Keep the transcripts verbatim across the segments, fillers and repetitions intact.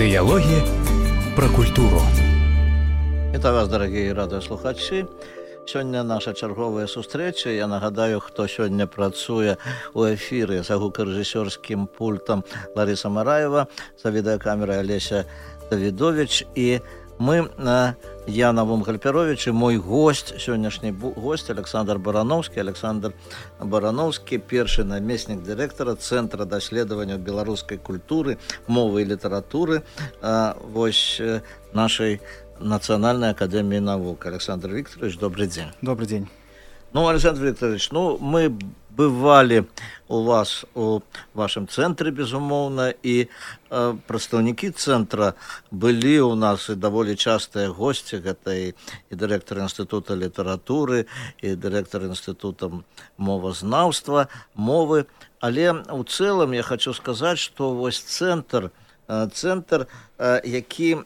Дыялогі пра культуру. Вітаю вас, дарагія радыёслухачы. Сёння наша чарговая сустрэча. Я нагадаю, хто сёння працуе ў эфіры за гукарэжысёрскім пультам Лариса Мараева, за відэакамерай Алеся Давідович. І мы, Яна Вунгальперович, і мой гость, сённяшні гость Александр Барановскі. Александр Барановскі, першы намеснік дырэктара Цэнтра даследавання беларускай культуры, мовы і літаратуры вось нашай Национальной академии наук. Александр Викторович, добрый день. Добрый день. Ну, Александр Викторович, ну, мы бывали у вас, у вашем центре, безумоўна, и э, прадстаўнікі центра былі у нас и даволі частыя гости. Это и, и директор Института литературы, и директор Института мовазнаўства, мовы. Але у целом я хочу сказать, что вось центр Центр, які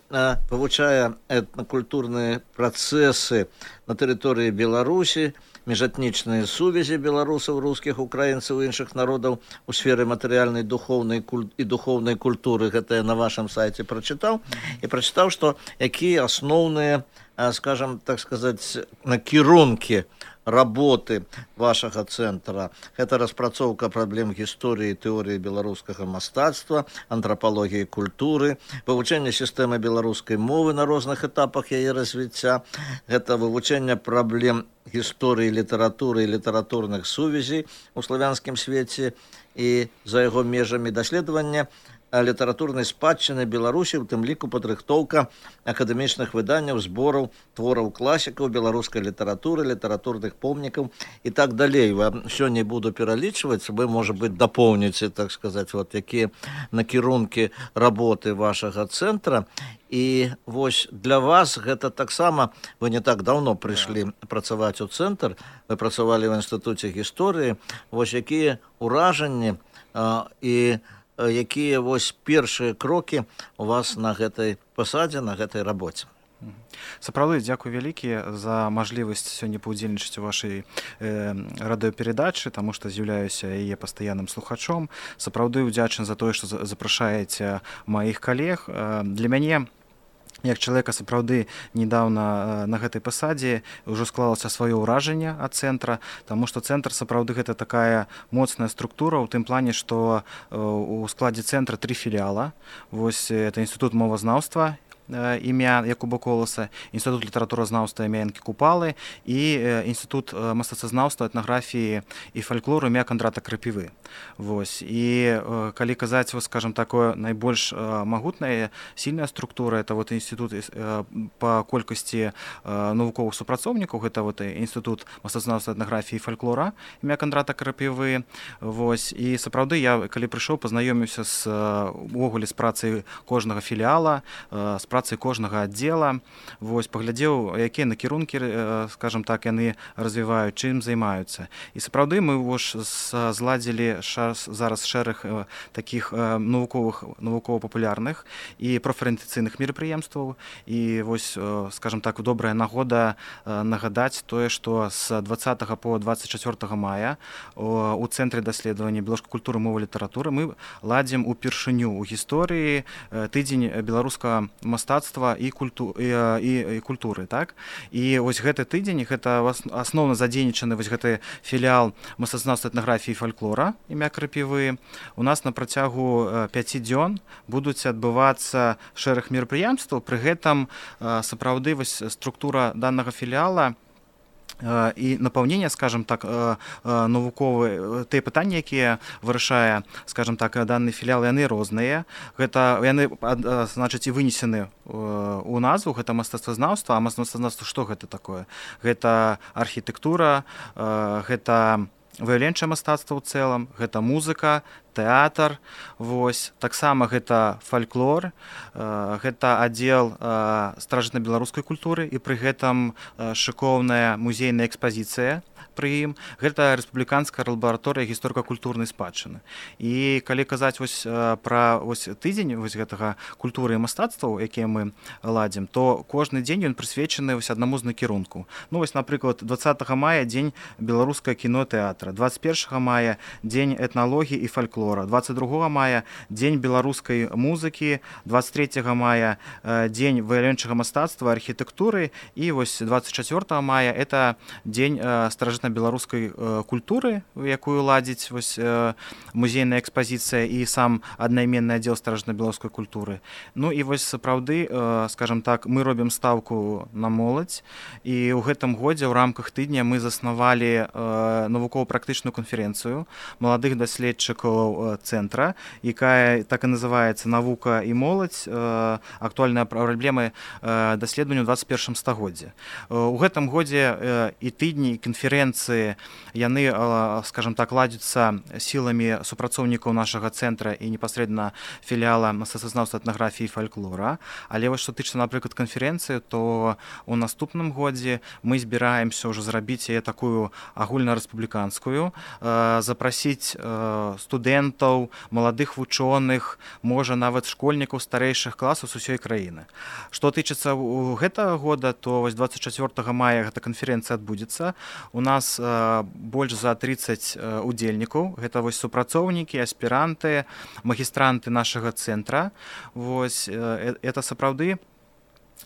вывучае этнакультурныя працэсы на тэрыторыі Беларусі, міжэтнічныя сувязі беларусаў, рускіх, украінцаў і іншых народаў у сферы матэрыяльнай, духоўнай і духоўнай культуры. Гэта я на вашем сайце прачытаў. І прачытаў, што якія асноўныя, скажем, так сказаць, накірункі работы вашага цэнтра. Гэта распрацоўка праблем гісторыі і тэорыі беларускага мастацтва, антрапалогіі культуры, вывучэнне сістэмы беларускай мовы на розных этапах яе развіцця, гэта вывучэнне праблем гісторыі літаратуры і літаратурных сувязей у славянскім свеце і за яго межамі, даследавання літаратурнай спадчыны Беларусі, у тым ліку падрыхтоўка акадэмічных выданняў, збораў, твораў класікаў беларускай літаратуры, літаратурных помнікаў і так далей. Сёння буду пералічваць, вы, можа быць, дапоўніце, так сказаць, вот якія накірункі работы вашага цэнтра. І вось для вас гэта таксама, вы не так даўно прыйшлі працаваць у цэнтр, вы працавалі ў Інстытуце гісторыі, вось якія ўражанні і якія вось першыя крокі у вас на гэтай пасадзе, на гэтай рабоце. Сапраўды, дзякуй вялікі за мажлівасць сёння паўдзельнічаць у вашай э, радыёперадачы, таму што з'яўляюся яе пастаянным слухачом. Сапраўды ўдзячны за тое, што запрашаеце маіх калег. Э, для мяне, як чалавека сапраўды недаўна на гэтай пасадзе, ўжо склалася сваё ўражанне ад цэнтра, таму што цэнтр сапраўды гэта такая моцная структура ў тым плане, што у складзе цэнтра тры філіяла. Вось это Інстытут мовазнаўства імя Якуба Коласа, Інстытут літаратуразнаўства імя Янкі Купалы і Інстытут мастацтвазнаўства, этнаграфіі і фальклору імя Кандрата Крапівы. Вось. І калі казаць, вот, скажем, такое найбольш магутная, сильная структура, это вот інстытут па колькасці навуковых супрацоўнікаў, гэта вот Інстытут мастацтвазнаўства, этнаграфіі і фальклора імя Кандрата Крапівы. Вось. І сапраўды я, калі прыйшоў, пазнаёміўся з увогуле з працай кожнага філіяла, з працы кожнага аддзела, вось, паглядзеў, якія накірункі, скажем так, яны развіваюць, чым займаюцца. І сапраўды мы ўж зладзілі зараз шэраг такіх навуковых, навукова-папулярных і профарыентацыйных мерапрыемстваў. І вось, скажем так, добрая нагода нагадаць тое, што з дваццатага по дваццаць чацвёртага мая у Цэнтры даследавання беларускай культуры, мовы, літаратуры мы ладзім упершыню ў гісторыі тыдзень беларускага мастацтва і, культу, і, і, і культуры, так? І вось гэты тыдзень, гэта асноўна задзейнічаны вось гэты філіял мастацтвазнаўства, этнаграфіі і фальклора імя Крапівы. У нас на працягу пяці дзён будуць адбывацца шэраг мерапрыемстваў, пры гэтым сапраўды вось структура данага філіяла і напаўнення, скажем так, навуковыя, тыя пытанні, якія вырашае, скажем так, данны філіял, яны розныя. Гэта яны, значыць, і вынесены у назву, гэта мастацтвазнаўства. А мастацтвазнаўства што гэта такое? Гэта архітэктура, гэта выяўленчае мастацтва ў цэлым, гэта музыка, тэатр, вось, таксама гэта фальклор, гэта аддзел старажытна-беларускай культуры і пры гэтым шыкоўная музейная экспазіцыя пры ім. Гэта рэспубліканская лабараторыя гісторыка-культурнай спадчыны. І калі казаць вось пра вось тыдзень вось гэтага культуры і мастацтваў, якія мы ладзім, то кожны дзень ён прысвечаны вось аднаму з накірунку. Ну вось, напрыклад, дваццатага мая дзень беларускага кіно, тэатра, дваццаць першага мая дзень этналогіі і фальклору, фальклора, двадцать другого мая дзень беларускай музыкі, двадцать третьего мая дзень выяўленчага мастацтва, архітэктуры, і вось двадцать четвёртого мая это дзень старажытна-беларускай культуры, якую ладзіць вось музейная экспазіцыя і сам аднайменны аддзел старажытна-беларускай культуры. Ну і вось сапраўды, скажем так, мы робім стаўку на моладзь, і ў гэтым годзе ў рамках тыдня мы заснавалі навукова-практычную канферэнцыю маладых даследчыкаў цэнтра, якая так і называецца «Навука і моладзь. Актуальныя праблемы даследавання ў двадцать першым стагоддзі». У гэтым годзе і тыдні, і канферэнцыі, яны, скажем так, ладзяцца сіламі супрацоўнікаў нашага цэнтра і непасрэдна філіяла мастацтвазнаўства, этнаграфіі і фальклора. Але вось што тычыцца, напрыклад, канферэнцыі, то ў наступным годзе мы збіраемся ўжо зрабіць яе такую агульнарэспубліканскую, запрасіць студэнтаў, маладых вучоных, можа нават школьнікаў старэйшых класаў з усёй краіны. Што тычыцца гэтага года, то вось двадцать четвёртого мая гэта канферэнцыя адбудзецца. У нас больш за тридцать удзельнікаў. Гэта вось супрацоўнікі, аспіранты, магістранты нашага цэнтра. Вось это сапраўды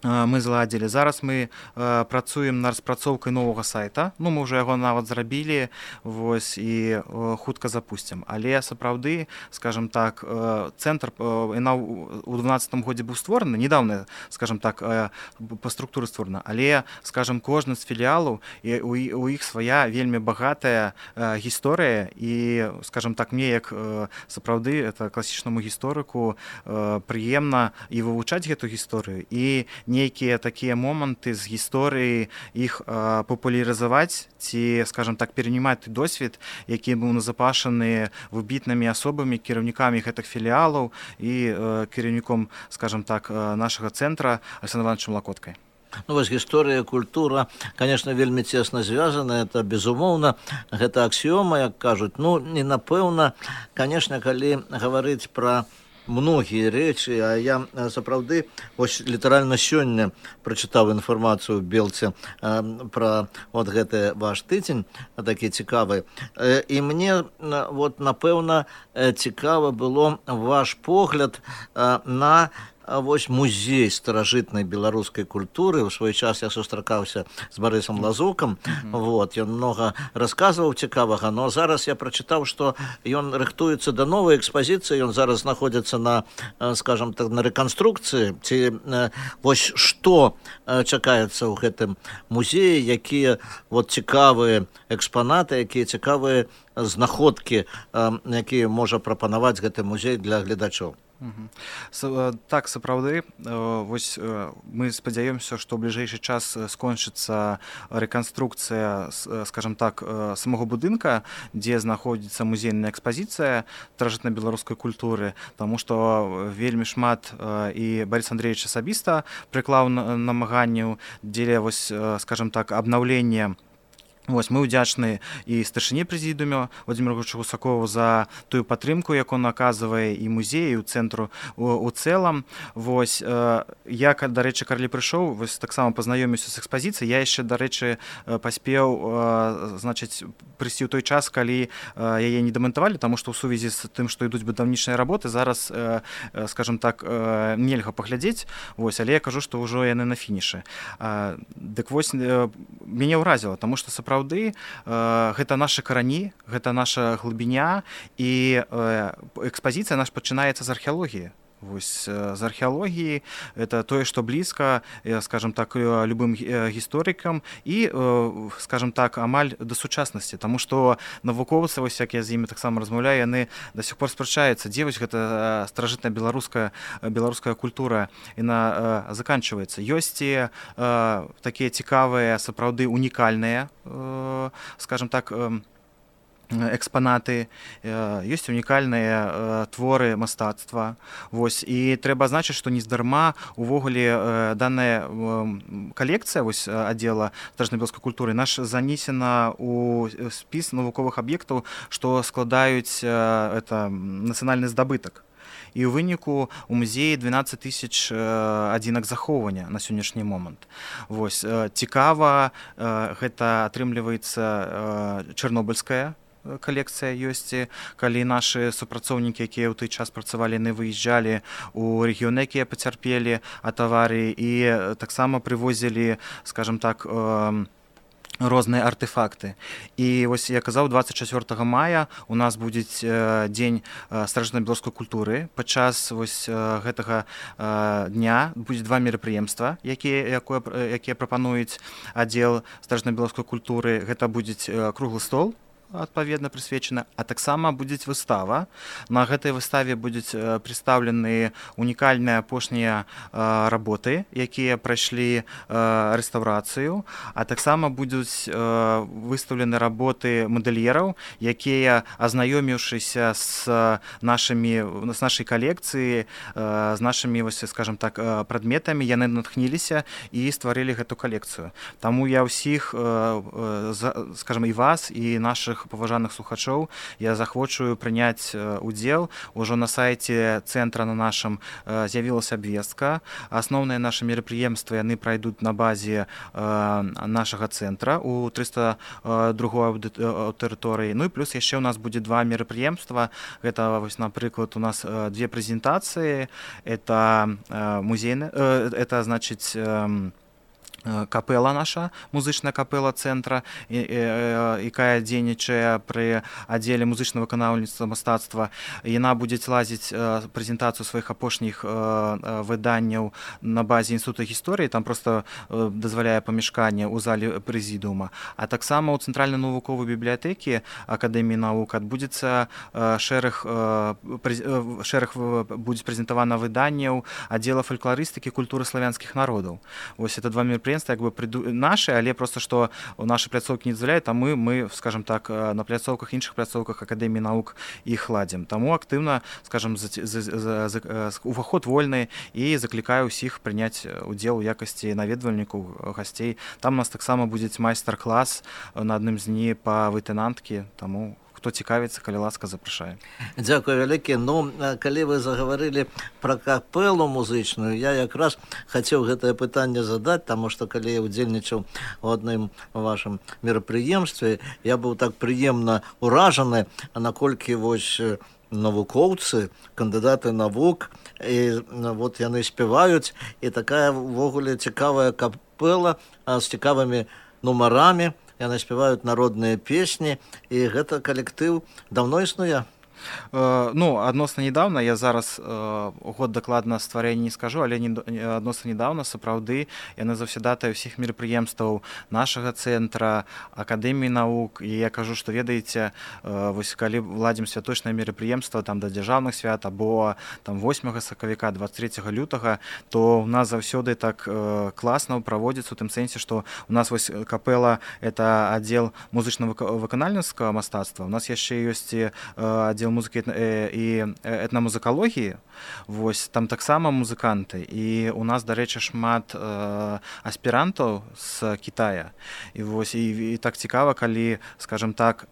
мы зладзілі. Зараз мы э, працуем над распрацоўкай новага сайта. Ну, мы ўжо яго нават зрабілі, вось, і э, хутка запусцім. Але сапраўды, скажем так, э, цэнтр э, у дванаццатым годзе быў створаны, недавно, скажем так, э, па структуры створана. Але, скажем, кожны з філіялаў, і у, у іх свая вельмі багатая э, гісторыя, і, скажем так, мне як э, сапраўды это класічнаму гісторыку э, прыемна і вывучаць гэту гісторыю, і нейкія такія моманты з гісторыі іх э, папулярызаваць ці, скажем так, перанімаць досвед, які быў назапашаны выбітнымі асобамі, кіраўнікамі гэтых філіялаў і э, кіраўніком, скажем так, нашага цэнтра Александром Ивановичем Лакоткай. Ну, вось гісторыя, культура, конечно, вельмі цесна звязана, это безумоўна, гэта аксіёма, як кажуць. Ну, не напэўна, конечно, калі гаварыць пра многія рэчы, а я сапраўды вось літаральна сёння прачытаў інфармацыю ў Белце э, пра вот гэты ваш тыдзень, такі цікавы. Э, і мне вот напэўна цікава было ваш погляд э, на вось музей старажытнай беларускай культуры. У свой час я сустракаўся з Барысам Лазукам, mm-hmm. вот, ён многа расказваў цікавага, но зараз я прачытаў, што ён рыхтуецца да новай экспазіцыі, ён зараз знаходзіцца на, скажем так, на рэканструкцыі. Ці вось што чакаецца ў гэтым музеі, якія вот цікавыя экспанаты, якія цікавыя знаходкі, якія можа прапанаваць гэты музей для гледачоў. Так, сапраўды, вось мы спадзяёмся, што ў бліжэйшы час скончыцца рэканструкцыя, скажем так, самого будынка, дзе знаходзіцца музейная экспазіцыя старажытна-беларускай культуры, таму што вельмі шмат і Барыс Андреевич асабіста прыклаў намаганняў дзеля, вось, скажем так, абнаўлення. Вось, мы ўдзячны і старшыні прэзідыума Владимиру Григорьевичу Гусакову за тую падтрымку, якую он аказвае і музею, і ў цэнтру у, у цэлым. Вось, э, я, дарэчы, калі прыйшоў, вось таксама пазнаёміўся з экспазіцыяй, я яшчэ, дарэчы, паспеў э, значыць, прыйсці ў той час, калі э, яе не дамантавалі, таму што ў сувязі з тым, што ідуць будаўнічныя работы, зараз, э, скажем так, э, нельга паглядзець, вось, але я кажу, што ўжо яны на фінішы. Э, дык вось, э, мяне ўразіла, таму што сапраўды Праўды, гэта нашы карані, гэта наша глыбіня, і экспазіцыя наша пачынаецца з археалогіі. Вось, з археалогіі, это тое, што блізка, скажем так, любым гісторыкам і, скажем так, амаль да сучаснасці, таму што навукоўцы, вось, як я з імі таксама размаўляю, яны да сих пор спрачаюцца, дзе вось гэта старажытная беларуская беларуская культура, яна заканчваецца. Ёсць і такія цікавыя, сапраўды унікальныя, скажем так, экспанаты, ёсць унікальныя творы мастацтва. Вось, і трэба азначыць, што нездарма увогуле данная калекцыя, вось, аддзела старажытна-беларускай культуры наш занесена ў спіс навуковых аб'ектаў, што складаюць это нацыянальны здабытак. І ў выніку у музеі дванаццаць тысяч адзінак захоўвання на сённяшні момант. Вось, цікава, гэта атрымліваецца чарнобыльская калекцыя ёсць, калі нашы супрацоўнікі, якія ў той час працавалі, не выязджалі у рэгіёны, якія пацярпелі ад аварыі, і таксама прывозілі, скажем так, розныя артефакты. І вось я казаў, дваццаць чацвёртага мая у нас будзе дзень старажытнабеларускай культуры. Падчас вось гэтага дня будзе два мерапрыемства, якія якія прапануюць аддзел старажытнабеларускай культуры. Гэта будзе круглы стол, адпаведна прысвечана, а таксама будзе выстава. На гэтай выставе будуць прадстаўлены унікальныя апошнія работы, якія прайшлі рэстаўрацыю, а таксама будуць выстаўлены работы мадэльераў, якія, азнаёміўшыся з нашымі з нашай калекцыі, з нашымі, вось, скажем так, прадметамі, яны натхніліся і стварылі гэту калекцыю. Таму я ўсіх, скажем, і вас, і нашых паважаных слухачоў я захвочую прыняць удзел. Ужо на сайце цэнтра на нашым з'явілася абвестка. Асноўныя нашы мерапрыемствы яны прайдуць на базе нашага цэнтра у трыста другой аўдыторыі. Ну і плюс яшчэ у нас будзе два мерапрыемства. Гэта, вось, напрыклад, у нас две прэзентацыі. Это музейны, это, значыць, капэла наша, музычная капэла цэнтра, якая дзейнічае пры аддзеле музычна-выканаўніцтва мастацтва. Яна будзе лазіць прэзентацыю сваіх апошніх выданняў на базе інстытута гісторыі, там проста дазваляе памяшканне ў зале прэзідыума. А таксама ў цэнтральнай навуковай бібліятэкі Акадэміі навук адбудзецца шэраг шэраг будзе прэзентавана выданняў аддзела фалькларыстыкі культуры славянскіх народаў. Вось это два мерапрыемствы, як бы наши, але просто што нашы пляцоўкі не дазваляюць, а мы, мы, скажем так, на пляцоўках, іншых пляцоўках Акадэміі навук іх ладзім. Таму актыўна, скажем, уваход вольны і заклікаю ўсіх прыняць удзел у якасці наведвальнікаў, гасцей. Там у нас таксама будзе майстар-клас на адным з дні па вытынанткі, таму хто цікавіцца, калі ласка, запрашае. Дзякую вялікі. Ну, калі вы загаварылі пра капэлу музычную, я якраз хацеў гэтае пытанне задаць, таму што калі я ўдзельнічаў у адным вашым мерапрыемстве, я быў так прыемна ўражаны, наколькі вось навукоўцы, кандыдаты навук, і вот яны спяваюць, і такая ўвогуле цікавая капэла з цікавымі нумарамі. Яны спяваюць народныя песні, і гэта калектыў даўно існуе? Ну, адносна недавно, я зараз год дакладна стварэння не скажу, але адносна недавно, сапраўды, яны заўсядатыя ўсіх мерапрыемстваў нашага цэнтра, Акадэміі навук, і я кажу, што ведаеце, вось калі ладзім святочнае мерапрыемства там да дзяржаўных свят або там восьмага сакавіка, дваццаць трэцяга лютага, то у нас заўсёды так класна праводзіцца, у тым сэнсе, што у нас вось капэла это аддзел музычна-выканальніцкага мастацтва, у нас яшчэ ёсць аддзел музыкі і этнамузыкалогіі, вось там таксама музыканты, і у нас, дарэчы, шмат аспірантаў з Кітая, і вось і, і так цікава, калі, скажем так,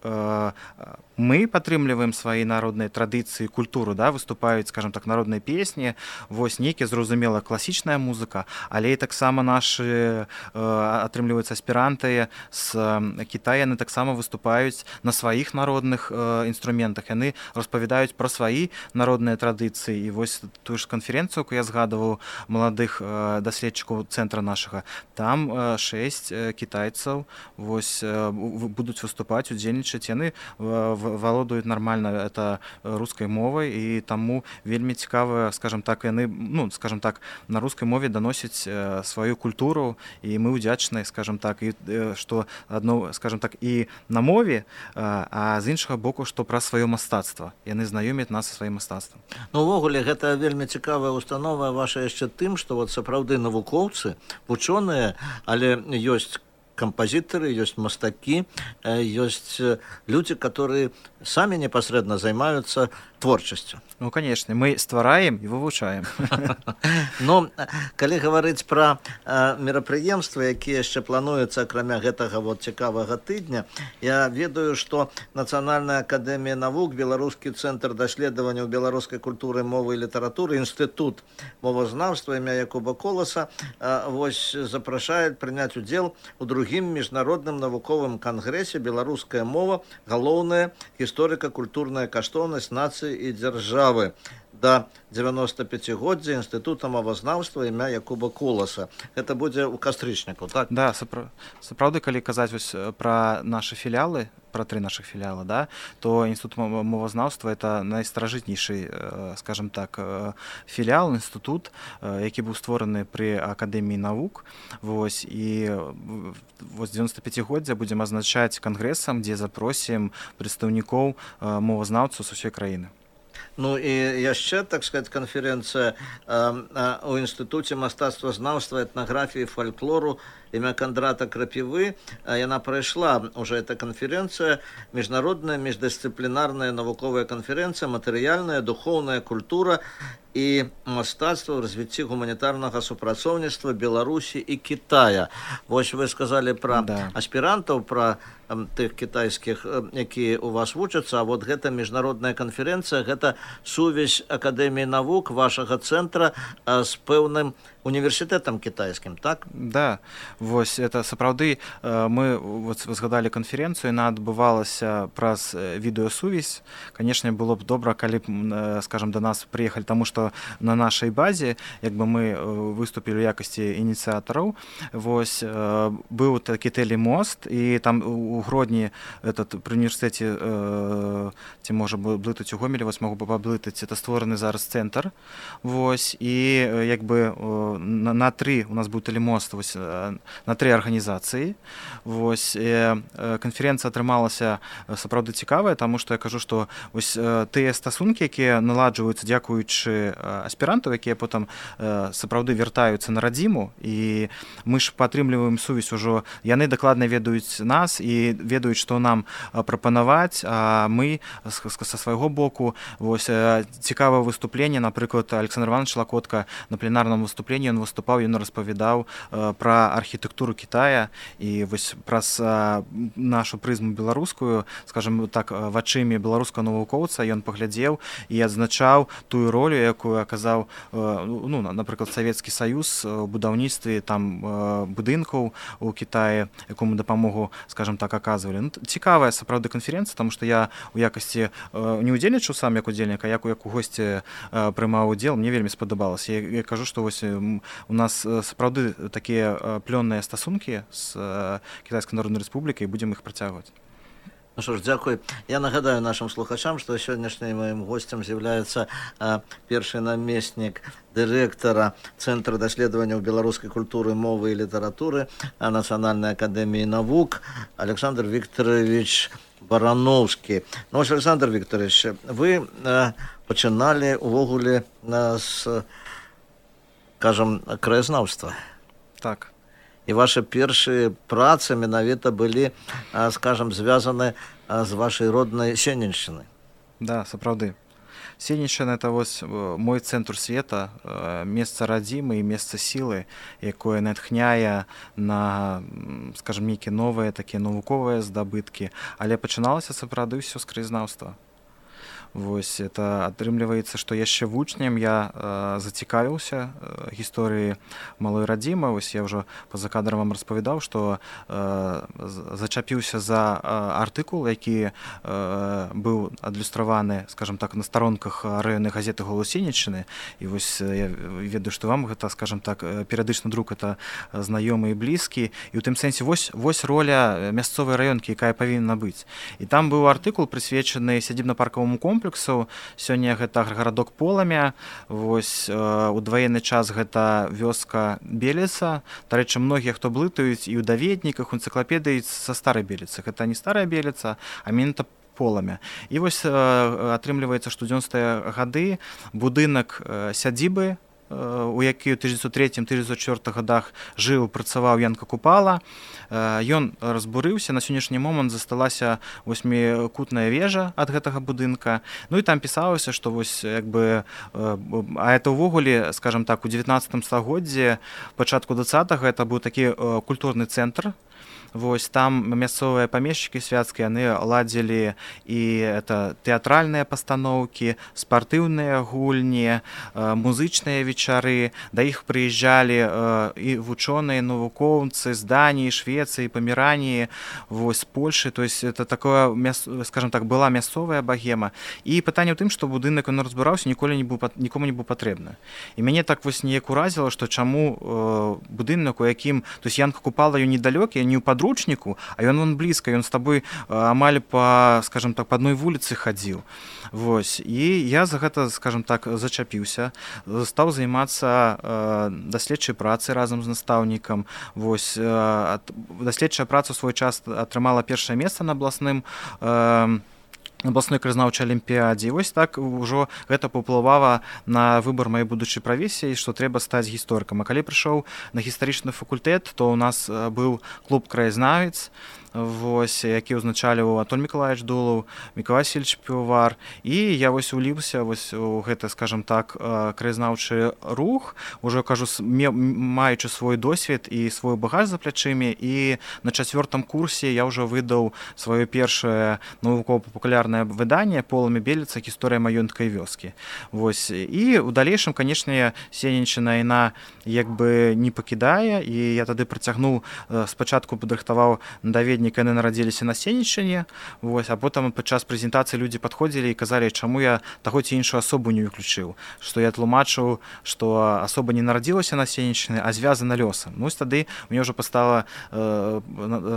мы падтрымліваем свае народныя традыцыі, культуру, да, выступаюць, скажем так, народныя песні, вось нейкі, зразумела, класічная музыка, але і таксама нашы атрымліваюцца аспіранты з Кітая, яны таксама выступаюць на сваіх народных інструментах, яны распавядаюць пра свае народныя традыцыі. І вось тую ж канферэнцыю, я згадываў маладых даследчыкаў цэнтра нашага, там шэсць кітайцаў вось будуць выступаць, удзельнічаць, яны валодаюць нармальна это рускай мовай, і таму вельмі цікава, скажем так, яны, ну, скажем так, на рускай мове даносяць сваю культуру, і мы удзячныя, скажем так, і што адно, скажем так, і на мове, а з іншага боку, што пра сваё мастацтва. Яны знаёмяць нас са сваім мастацтвам. Ну, увогуле, гэта вельмі цікавая установа ваша яшчэ тым, што вот сапраўды навукоўцы, вучоныя, але ёсць кампазітары, ёсць мастакі, ёсць людзі, которые самі непасрэдна займаюцца творчасцю. Ну, конечно, мы ствараем і вывучаем. Ну, калі гаварыць пра мерапрыемствы, якія яшчэ плануюцца акрамя гэтага вот цікавага тыдня, я ведаю, што Нацыянальная акадэмія навук, Беларускі цэнтр даследаванняў беларускай культуры, мовы і літаратуры, інстытут мовазнаўства імя Якуба Коласа вось запрашаюць прыняць удзел у другім міжнародным навуковым кангрэсе «Беларуская мова. Галоўная гісторыка-культурная каштоўнасць нацыі і дзяржавы» да дзевяностапяцігоддзя інстытута мовазнаўства імя Якуба Коласа. Гэта будзе ў кастрычніку, так? Да, сапраўды, калі казаць вось пра нашы філіалы, пра тры нашых філіала, да, то інстытут мовазнаўства это найстаражытнейшы, скажем так, філіал, інстытут, які быў створаны пры акадэміі навук. Вось, і вось дзевяностапяцігоддзя будзем азначаць кангрэсам, дзе запросім прадстаўнікоў мовазнаўцаў з усёй краіны. Ну і яшчэ, так сказать, канферэнцыя ў інстытуце мастацтвазнаўства, этнаграфіі, фальклору імя Кандрата Крапівы. Яна прайшла уже эта канферэнцыя, міжнародная міждысцыплінарная навуковая канферэнцыя, матэрыяльная, духоўная культура і мастацтва ў развіцці гуманітарнага супрацоўніцтва Беларусі і Кітая. Вось вы сказалі пра да. аспірантаў, пра тых кітайскіх, якія у вас вучацца, а вот гэта міжнародная канферэнцыя, гэта сувязь Акадэміі навук вашага цэнтра з пэўным універсітэтам кітайскім, так? Да, вось это сапраўды мы вот згадалі канферэнцыю, яна адбывалася праз відэасувязь. Канешне, было б добра, калі б, скажем, да нас прыехалі, таму што на нашай базе, як бы мы выступілі ў якасці ініцыятараў. Вось быў такі тэлемост, і там у Гродні этот пры універсітэце ці можа блытаць у Гомелі, вось магу паблытаць, это створаны зараз цэнтр. Вось, і як бы на, на тры у нас быў тэлемост, вось, на тры арганізацыі. Вось, канферэнцыя атрымалася сапраўды цікавая, таму што я кажу, што вось тыя стасункі, якія наладжваюцца дзякуючы аспірантаў, якія потым сапраўды вяртаюцца на радзіму, і мы ж падтрымліваем сувязь ужо, яны дакладна ведаюць нас і ведаюць, што нам прапанаваць, а мы са свайго боку. Вось цікавае выступленне, напрыклад, Александр Иванович Лакотка на пленарным выступленні ён выступаў, ён распавядаў пра архітэктуру Кітая, і вось праз нашу прызму беларускую, скажем так, вачымі беларускага навукоўца ён паглядзеў і адзначаў тую ролю, якую аказаў, ну, напрыклад, Савецкі Саюз у будаўніцтве там будынкаў у Кітаі, якому дапамогу, скажем так, аказвалі. Ну, цікавая сапраўды канферэнцыя, таму што я у якасці не удзельнічаў сам як удзельнік, а як у госці прымаў удзел, мне вельмі спадабалася. Я, я кажу, што вось у нас сапраўды такія плённыя стасункі з Кітайскай Народнай Рэспублікай, і будзем іх працягваць. Ну что ж, дзякуй. Я нагадаю нашим слухачам, што сённяшнім моим гостем з'яўляецца першы намеснік дырэктара Цэнтра даследаванняў беларускай культуры, мовы і літаратуры Нацыянальнай акадэміі навук Александр Викторович Барановскі. Ну, ось, Александр Викторович, вы пачыналі увогуле з, скажем, краязнаўства. Так. І ваши першыя працы менавіта былі, скажем, звязаны з вашай роднай Сенеччыны. Да, сапраўды. Сенеччына — это вось мой цэнтр света, месца радзімы і месца сілы, якое натхняе на, скажем, нейкія новыя такія навуковыя здабыткі, але пачыналася сапраўды ўсё з краязнаўства. Вось, это атрымліваецца, што яшчэ вучнем я э, зацікавіўся э, гісторыі малой радзімы. Вось я ўжо па-за кадрам вам распавядаў, што э, зачапіўся за э, артыкул, які э, быў адлюстраваны, скажем так, на старонках раённай газеты «Голос Сенеччыны». І вось я ведаю, што вам гэта, скажем так, перыядычны друк — это знаёмы і блізкі. І ў тым сэнсе вось, вось роля мясцовай раёнкі, якая павінна быць. І там быў артыкул, прысвечаны сядзібна-паркаваму комплексу. Сёння гэта гарадок Поламя. Вось, у даваенны час гэта вёска Беліца. Дарэчы, многія, хто блытаюць і ў даведніках, у энцыклапедыі са старай Беліцы. Гэта не старая Беліца, а менавіта Поламя. І вось атрымліваецца, што ў дзевяностыя гады будынак сядзібы у які ў тысяча дзевяцьсот трэцім — тысяча дзевяцьсот чвёртым годах жыў, працаваў Янка Купала. Ён разбурыўся, на сённяшні момант засталася восьмікутная вежа ад гэтага будынка. Ну і там пісалася, што вось як бы, а это ўвогуле, скажем так, у дзевятнаццатым стагоддзі, пачатку дваццатага, это быў такі культурны цэнтр. Вось там мясцовыя памешчыкі свяцкія, яны ладзілі і это тэатральныя пастаноўкі, спартыўныя гульні, музычныя вечары, да іх прыязджалі і вучоныя, навукоўцы з Даніі, Швецыі, Памераніі, вось з Польшы. То есть это такое, скажем так, была мясцовая багема. І пытанне ў тым, што будынак, ён разбураўся, ніколі не быў, нікому не быў патрэбны. І мяне так вось неяк уразіла, што чаму будынак, у якім, то есть Янка Купала, ён недалёкі, не ў подручнику, а ён он блізка, ён з табой амаль па, скажем так, па адной вуліцы хадзіў. Вось. І я за гэта, скажем так, зачапіўся, стаў займацца даследчай працай разам з настаўнікам. Вось. Даследчая праца ў свой час атрымала першае месца на абласным абласной краязнаўчай алімпіядзе. І вось так ужо гэта паўплывала на выбар маёй будучай прафесіі, што трэба стаць гісторыкам. А калі прыйшоў на гістарычны факультэт, то ў нас быў клуб краязнавец, вось, які ўзначаліў Анатоль Миколаевич Дулаў, Миколай Васильевич Півовар. І я вось уліўся вось у гэта, скажем так, краязнаўчы рух, ужо кажу, маючы свой досвед і свой багаж за плячымі. І на чацвёртым курсе я ўжо выдаў сваё першае навукова-папулярнае выданне «Полымя Беліца. Гісторыя маёнткай вёскі». Вось. І ў далейшым, канешне, Сенеччына яна як бы не пакідае, і я тады працягнуў, спачатку падрыхтаваў даведнік, яны нарадзіліся на Сенеччыне, вось, а потым падчас прэзентацыі людзі падходзілі і казалі, чаму я таго ці іншую асобу не выключыў, што я тлумачыў, што асоба не нарадзілася на Сенеччыне, а звязана лёсам. Ну, тады мне ўжо пастала,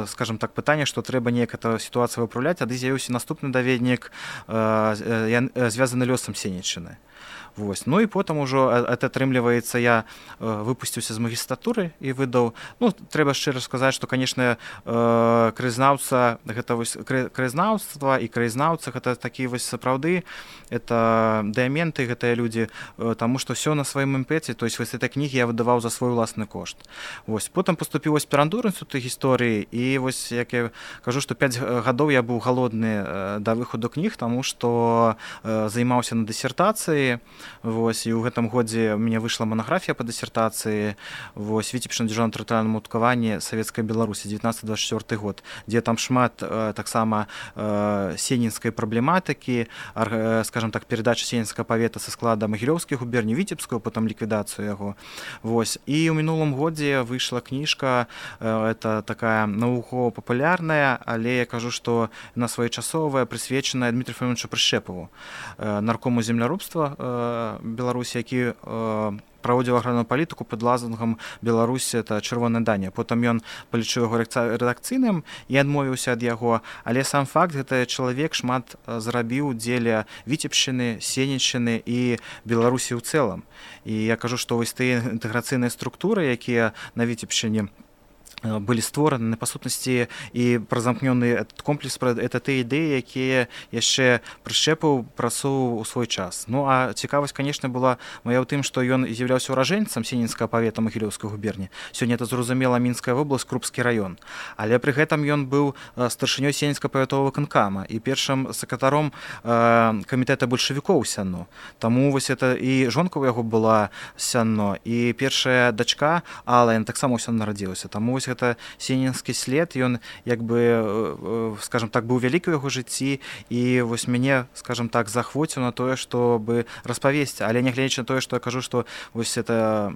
скажем так, пытанне, што трэба неяк эту сітуацыю выпраўляць, тады з'явіўся наступны даведнік, звязаны лёсам Сенеччыны. Вось. Ну і потым ужо это атрымліваецца, я выпусціўся з магістратуры і выдаў, ну, трэба шчыра сказаць, што, канешне, краязнаўца, гэта вось краязнаўства і краязнаўца, гэта такі вось сапраўды, это дыаменты, гэтыя людзі, таму што ўсё на сваім імпэце, то есть вось этой кнігі я выдаваў за свой уласны кошт. Вось. Потым паступіў у аспірантуру інстытута гісторыі, і вось, як я кажу, што пяць гадоў я быў галодны да выхаду кніг, таму што займаўся на дысертацыі. Вось, і ў гэтым годзе у мяне выйшла манаграфія па дысертацыі, вось, Віцебщина дзяржаўным тэрытарыяльным уладкаванні Савецкай Беларусі, дзевятнаццаты — дваццаць чвёрты год, дзе там шмат таксама сенінскай праблематыкі, скажем так, перадача сенінскага павета са склада Магілёўскай губерні, Віцебскую, потым ліквідацыю яго. Вось. І ў мінулым годзе выйшла кніжка, это такая навукова-папулярная, але я кажу, што яна своечасовая, прысвечаная Дмітрию Филимоновичу Прышчэпаву, наркому земляробства Беларусі, які праводзіў аграрную палітыку пад лозунгам «Беларусь – это чырвоная Данія». Потым ён палічыў яго рэдакцыйным і адмовіўся ад яго. Але сам факт, гэты чалавек шмат зарабіў дзеля Віцебшчыны, Сенеччыны і Беларусі ў цэлым. І я кажу, што вось тыя інтэграцыйныя структуры, якія на Віцебшчыне былі створаны, па сутнасці, і празамкнёны этот комплекс, это тыя ідэі, якія яшчэ Прышчэпаў прасоўваў у свой час. Ну, а цікавасць, канешне, была мая ў тым, што ён з'яўляўся ўражэнцам сенінскага павета Магілёўскай губерні. Сёння это, зразумела, Мінская вобласць, Крупскі раён. Але пры гэтым ён быў старшынёй Сенінскага павятовага выканкама і першым сакратаром камітэта бальшавікоў Сянно. Таму вось это і жонка ў яго была Сянно, і першая дачка Алла, яна таксама ў Сянно нарадзілася. Таму вось гэта сенінскі след, ён як бы, скажем так, быў вялікі ў яго жыцці, і вось мяне, скажем так, захвоціў на тое, чтобы распавесці. Але нягледзячы на тое, што я кажу, што вось это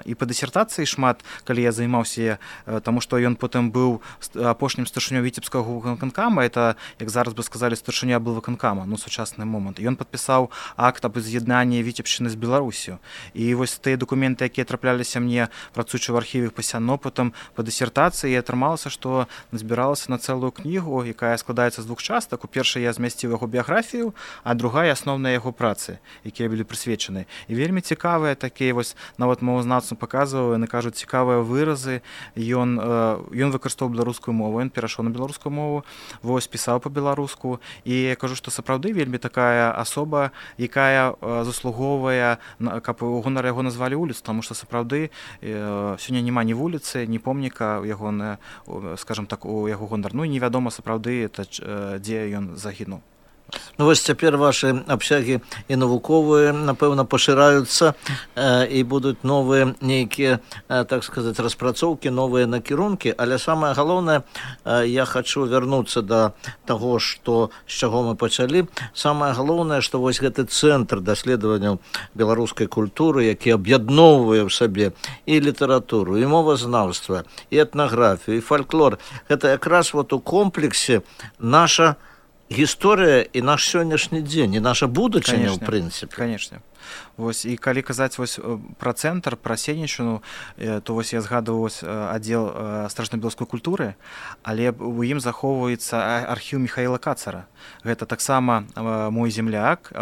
і па дысертацыі шмат, калі я займаўся, таму што ён потым быў апошнім старшынёй Віцебскага выканкама, это, як зараз бы сказалі, старшыня аблвыканкама, ну, сучасны момант. Ён падпісаў акт аб з'яднанні Віцебшчыны з Беларусю. І вось тыя дакументы, якія трапляліся мне, працуючы ў архіве па Сянно, потым па дысертацыі, і атрымалася, што назбіралася на цэлую кнігу, якая складаецца з двух частак. У першай я змясціў яго біяграфію, а другая асноўныя яго працы, якія былі прысвечаны. І вельмі цікавыя такія вось, нават мовазнаўцам паказваю, яны кажуць, цікавыя выразы. Ён, ён выкарыстоўваў беларускую мову, ён перайшоў на беларускую мову, вось пісаў па-беларуску. І я кажу, што сапраўды вельмі такая асоба, якая заслуговвае, каб у гонар яго назвалі вуліцу, таму што сапраўды сёння няма ні вуліцы, ні помніка ягонае, скажам так, у яго гонар. Ну і невядома сапраўды, дзе ён загінуў. Ну вось цяпер вашы абсягі і навуковыя, напэўна, пашыраюцца э, і будуць новыя нейкія, э, так сказаць, распрацоўкі, новыя накірункі, але самае галоўнае, э, я хачу вярнуцца да таго, што, з чаго мы пачалі. Самае галоўнае, што вось гэты цэнтр даследаванняў беларускай культуры, які аб'ядноўвае ў сабе і літаратуру, і мовазнаўства, і этнаграфію, і фальклор, гэта якраз вот у комплексе наша гісторыя і наш сённяшні дзень, і наша будучыня, ў прынцыпе. Канечне. Вось, і калі казаць вось пра цэнтр, пра Сенеччыну, то вось я згадваў аддзел страчна-беларускай культуры, але у ім захоўваецца архіў Міхаіла Кацара. Гэта таксама мой земляк.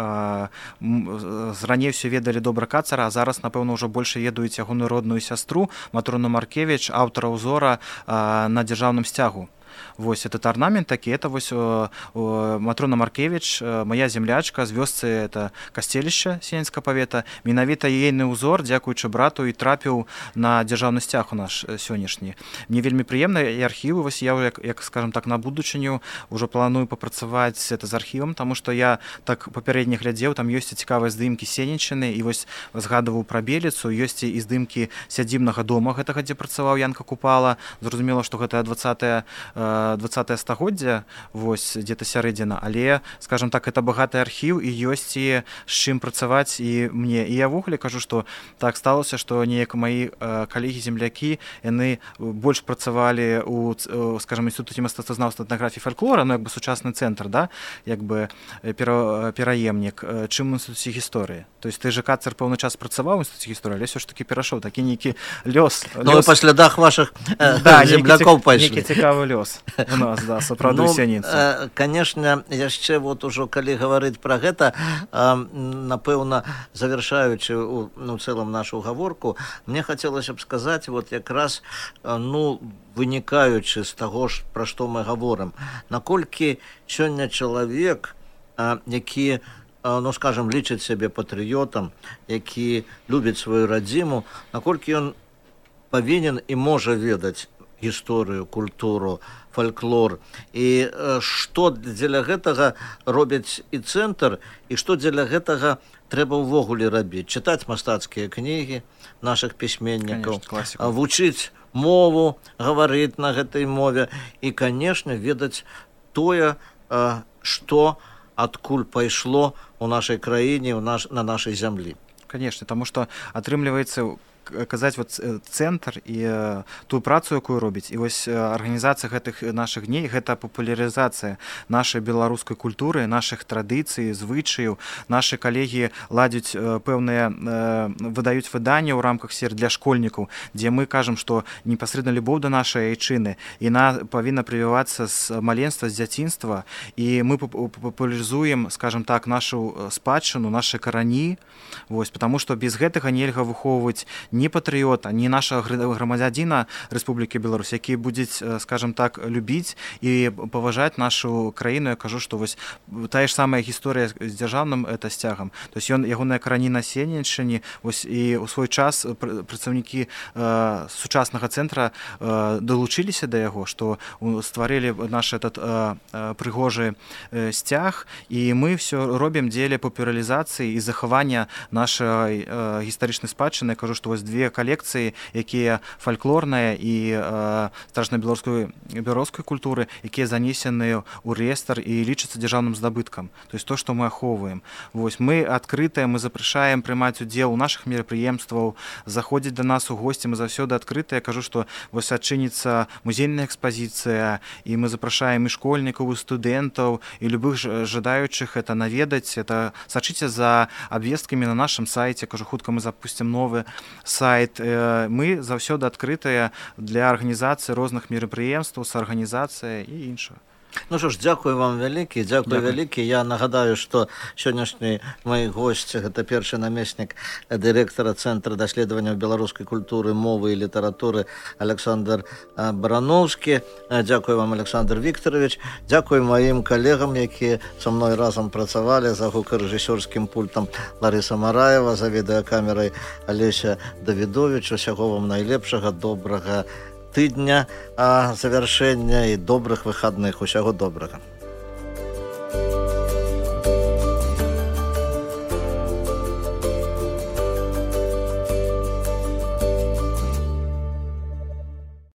Раней ўсё ведалі добра Кацара, а зараз, напэўна, ўжо больш ведаюць ягоную родную сястру Матрону Маркевіч, аўтара ўзора на дзяржаўным сцягу. Вось этот орнамент такі, это вось о, о, Матрона Маркевич, моя землячка з вёсцы, это Касцелішча Сенецкага павета. Менавіта ейны ўзор, дзякуючы брату, і трапіў на дзяржаўны сцяг у наш сённяшні. Мне вельмі прыемна, і архівы, вось я, як, як скажем так, на будучыню ўжо планую папрацаваць это з архівам, таму што я так папярэдне глядзеў, там ёсць цікавыя здымкі Сенеччыны, і вось згадываў пра Беліцу, ёсць і здымкі сядзібнага дома гэтага, дзе працаваў Янка Купала. Зразумела, што гэта дваццатае дваццатае стагоддзя, вось дзе-то сярэдзіна, але, скажем так, это багаты архіў, і ёсць і з чым працаваць і мне. І я ввогуле кажу, што так сталося, што неяк маі калегі-землякі, яны больш працавалі у, скажем, інстытуце мастацтвазнаўства, этнаграфіі, фальклора, ну, як бы сучасны цэнтр, да, як бы пераемнік, чым у інстытуце гісторыі. То есть ты же, Кацар, пэўны час працаваў у інстытуце гісторыі, але ўсё ж такі перайшоў, такі нейкі лёс. Ну, па слядах вашых землякоў пайшлі. Нейкі цікавы лёс у нас, да, сапраўды ў Сяніцы. Ну, канешне, яшчэ вот ужо, калі гаварыць пра гэта, напэўна, завяршаючы ну, цэлым нашу гаворку, мне хацелася б сказаць, вот якраз, ну, вынікаючы з таго, пра што мы гаворым, наколькі сёння чалавек, які, ну, скажем, лічыць сябе патрыётам, які любіць сваю радзіму, наколькі ён павінен і можа ведаць гісторыю, культуру, фальклор, і што дзеля гэтага робяць і цэнтр, і што дзеля гэтага трэба ўвогуле рабіць. Чытаць мастацкія кнігі нашых пісьменнікаў, вучыць мову, гаварыць на гэтай мове, і, канешне, ведаць тое, што адкуль пайшло у нашай краіне, у наш, на нашай зямлі. Канешне, таму што атрымліваецца казаць вот цэнтр і э, тую працу, якую робіць. І вось арганізацыя гэтых нашых дней, гэта папулярызацыя нашай беларускай культуры, нашых традыцый, звычаяў. Нашы калегі ладзяць э, пэўныя, э, выдаюць выданні ў рамках сер для школьнікаў, дзе мы кажам, што непасрэдна любоў да нашай айчыны, яна павінна прывівацца з маленства, з дзяцінства, і мы папулярызуем, скажем так, нашу спадчыну, нашы карані, вось, потому што без гэтага нельга выхоўваць ні патрыёта, ні нашага грамадзяніна Рэспублікі Беларусь, які будзе, скажем так, любіць і паважаць нашу краіну. Я кажу, што вось тая ж самая гісторыя з дзяржаўным это сцягам. То есть ён, ягоная карані на Сенеччыне, вось і ў свой час прадстаўнікі э, сучаснага цэнтра э, далучыліся да яго, што стварылі наш этот э, прыгожы э, сцяг, і мы ўсё робім дзеля папулярызацыі і захавання нашай э, гістарычнай спадчыны. Я кажу, што вось две калекцыі, якія фальклорныя і э, страчна-беларускай беларускай культуры, якія занесены ў рэестр і лічацца дзяржаўным здабыткам. То есть то, што мы ахоўваем. Вось мы адкрытыя, мы запрашаем прымаць удзел у нашых мерапрыемстваў, заходзіць да нас у госці, мы заўсёды адкрытыя. Я кажу, што вось адчыніцца музейная экспазіцыя, і мы запрашаем і школьнікаў, і студэнтаў, і любых жадаючых это наведаць. Это сачыце за абвесткамі на нашым сайце. Я кажу, хутка мы запусцім новы сайт сайт. Мы заўсёды адкрытыя для арганізацыі розных мерапрыемстваў, саарганізацыя і іншага. Ну що ж, дякую вам вялікі, дякую вялікі. Я нагадаю, што сённяшні мой госць, гэта першы намеснік дырэктара Цэнтра даследаванняў беларускай культуры, мовы і літаратуры Александр Барановскі. Дякую вам, Александр Викторович. Дякую маім калегам, якія са мной разам працавалі, за гукарэжысёрскім пультам Ларыса Мараева, за відэакамерай Алеся Давідович. Усяго вам найлепшага, добрага тыдня, а завяршэння і добрых выхадных. Усяго добрага.